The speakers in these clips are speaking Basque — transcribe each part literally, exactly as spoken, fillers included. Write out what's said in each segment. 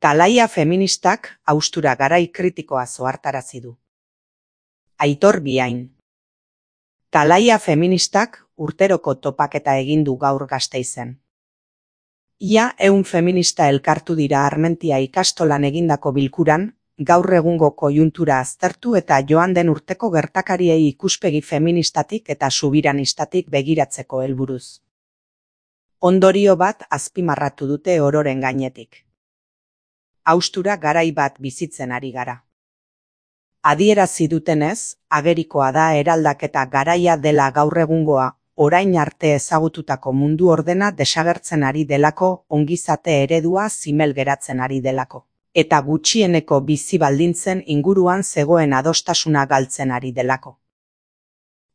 Talaia feministak haustura garai kritikoa ohartarazi du. Aitor Biain. Talaia feministak urteroko topaketa egin du gaur Gasteizen. Ia ehun feminista elkartu dira Armentia ikastolan egindako bilkuran, gaur egungo koiuntura aztertu eta joan den urteko gertakariei ikuspegi feministatik eta subiranistatik begiratzeko helburuz. Ondorio bat azpimarratu dute ororen gainetik. Haustura garai bat bizitzen ari gara. Adierazi dutenez, agerikoa da eraldaketa garaia dela gaur egungoa, orain arte ezagututako mundu ordena desagertzen ari delako, ongizate eredua zimel geratzen ari delako, eta gutxieneko bizi baldintzen inguruan zegoen adostasuna galtzen ari delako.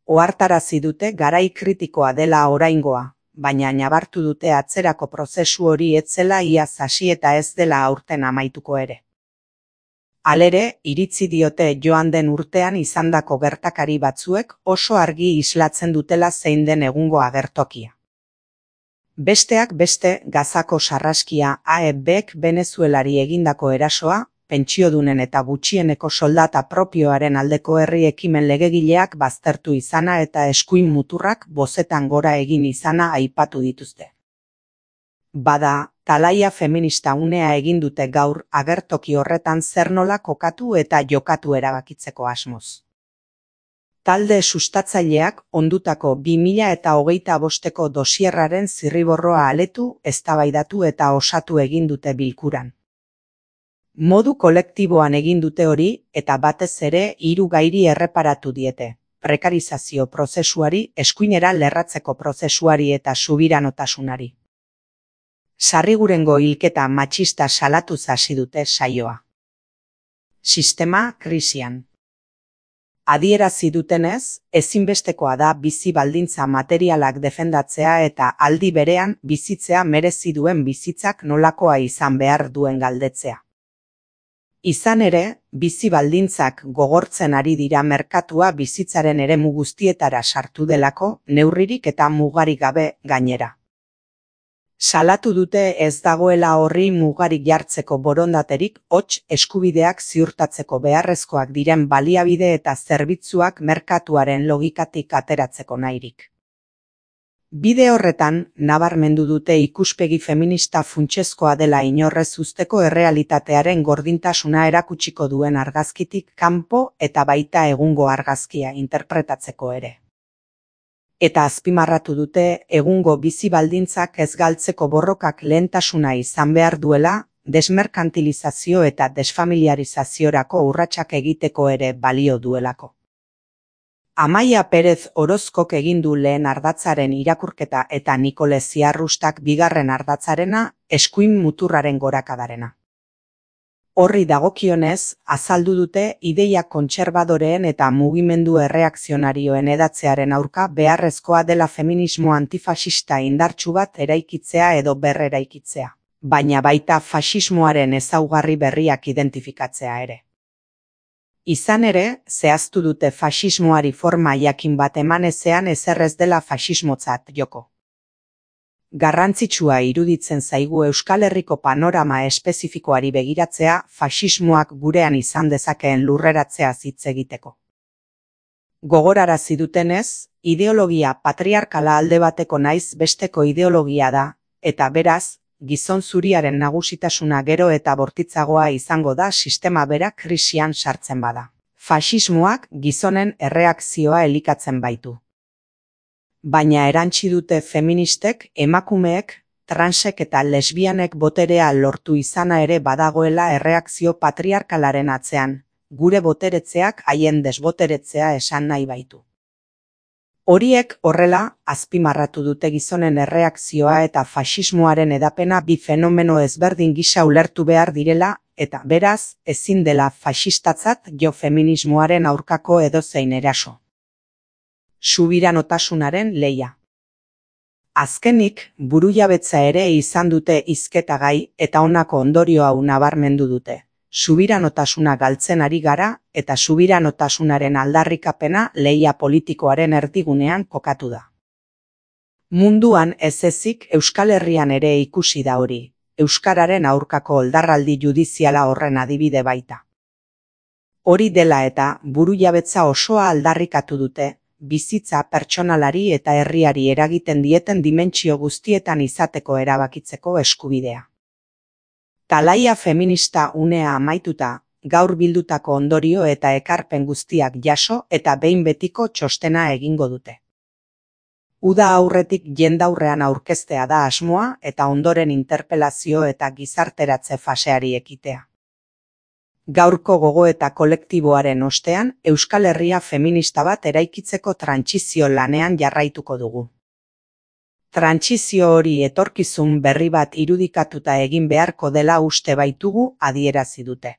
Ohartarazi dute garai kritikoa dela oraingoa, baina nabartu dute atzerako prozesu hori ez zela iaz hasi eta ez dela aurten amaituko ere. Halere, iritzi diote joan den urtean izandako gertakari batzuek oso argi islatzen dutela zein den egungo agertokia. Besteak beste, Gazako sarraskia A E Bk Venezuelari egindako erasoa, pentsiodunen eta gutxieneko soldata propioaren aldeko herri ekimen legegileak baztertu izana eta eskuin muturrak bozetan gora egin izana aipatu dituzte. Bada, Talaia feminista unea egin dute gaur agertoki horretan zer nola kokatu eta jokatu erabakitzeko asmoz. Talde sustatzaileak ondutako bi mila eta hogeita bosteko dosierraren zirriborroa aletu, eztabaidatu eta osatu egin dute bilkuran. Modu kolektiboan egin dute hori eta batez ere hiru gairi erreparatu diete: prekarizazio prozesuari, eskuinera lerratzeko prozesuari eta subiranotasunari. Sarrigurengo hilketa matxista salatuz hasi dute saioa. Sistema krisian. Adierazi dutenez, ezinbestekoa da bizi baldintza materialak defendatzea eta aldi berean bizitzea merezi duen bizitzak nolakoa izan behar duen galdetzea. Izan ere, bizi baldintzak gogortzen ari dira merkatua bizitzaren eremu guztietara sartu delako, neurririk eta mugarik gabe gainera. Salatu dute ez dagoela horri mugarik jartzeko borondaterik, hots eskubideak ziurtatzeko beharrezkoak diren baliabide eta zerbitzuak merkatuaren logikatik ateratzeko nahirik. Bide horretan, nabarmendu dute ikuspegi feminista funtsezkoa dela inorrez uzteko errealitatearen gordintasuna erakutsiko duen argazkitik kanpo eta baita egungo argazkia interpretatzeko ere. Eta azpimarratu dute egungo bizi baldintzak ez galtzeko borrokak lehentasuna izan behar duela, desmerkantilizazio eta desfamiliarizaziorako urratsak egiteko ere balio duelako. Amaia Perez Orozkok egin du lehen ardatzaren irakurketa eta Nikole Ziarrustak bigarren ardatzarena, eskuin muturraren gorakadarena. Horri dagokionez, azaldu dute ideia kontserbadoreen eta mugimendu erreakzionarioen edatzearen aurka beharrezkoa dela feminismo antifasista indartsu bat eraikitzea edo berreraikitzea, baina baita fasismoaren ezaugarri berriak identifikatzea ere. Izan ere, zehaztu dute fasismoari forma jakin bat eman ezean ezerrez dela fasismotzat joko. Garrantzitsua iruditzen zaigu Euskal Herriko panorama espezifikoari begiratzea fasismoak gurean izan dezakeen lurreratzea hitz egiteko. Gogorarazi dutenez, ideologia patriarkala alde bateko naiz besteko ideologia da, eta beraz, gizon zuriaren nagusitasuna gero eta bortitzagoa izango da sistema bera krisian sartzen bada. Fasismoak gizonen erreakzioa elikatzen baitu. Baina erantsi dute feministek, emakumeek, transek eta lesbianek boterea lortu izana ere badagoela erreakzio patriarkalaren atzean, gure boteretzeak haien desboteretzea esan nahi baitu. Horiek horrela, azpimarratu dute gizonen erreakzioa eta fasismoaren edapena bi fenomeno ezberdin gisa ulertu behar direla, eta beraz, ezin dela fasistatzat jo feminismoaren aurkako edozein eraso. Subiranotasunaren lehia. Azkenik, burujabetza ere izan dute hizketagai eta honako ondorio hau nabarmendu dute. Subiranotasuna galtzen ari gara eta subiranotasunaren aldarrikapena lehia politikoaren erdigunean kokatu da. Munduan ez ezik Euskal Herrian ere ikusi da hori. euskararen aurkako oldarraldi judiziala horren adibide baita. Hori dela eta burujabetza osoa aldarrikatu dute, bizitza pertsonalari eta herriari eragiten dieten dimentsio guztietan izateko erabakitzeko eskubidea. Talaia feminista unea amaituta, gaur bildutako ondorio eta ekarpen guztiak jaso eta behin betiko txostena egingo dute. Uda aurretik jendaurrean aurkeztea da asmoa eta ondoren interpelazio eta gizarteratze faseari ekitea. Gaurko gogoeta kolektiboaren ostean, Euskal Herria feminista bat eraikitzeko trantsizio lanean jarraituko dugu. Trantsizio hori etorkizun berri bat irudikatuta egin beharko dela uste baitugu adierazi dute.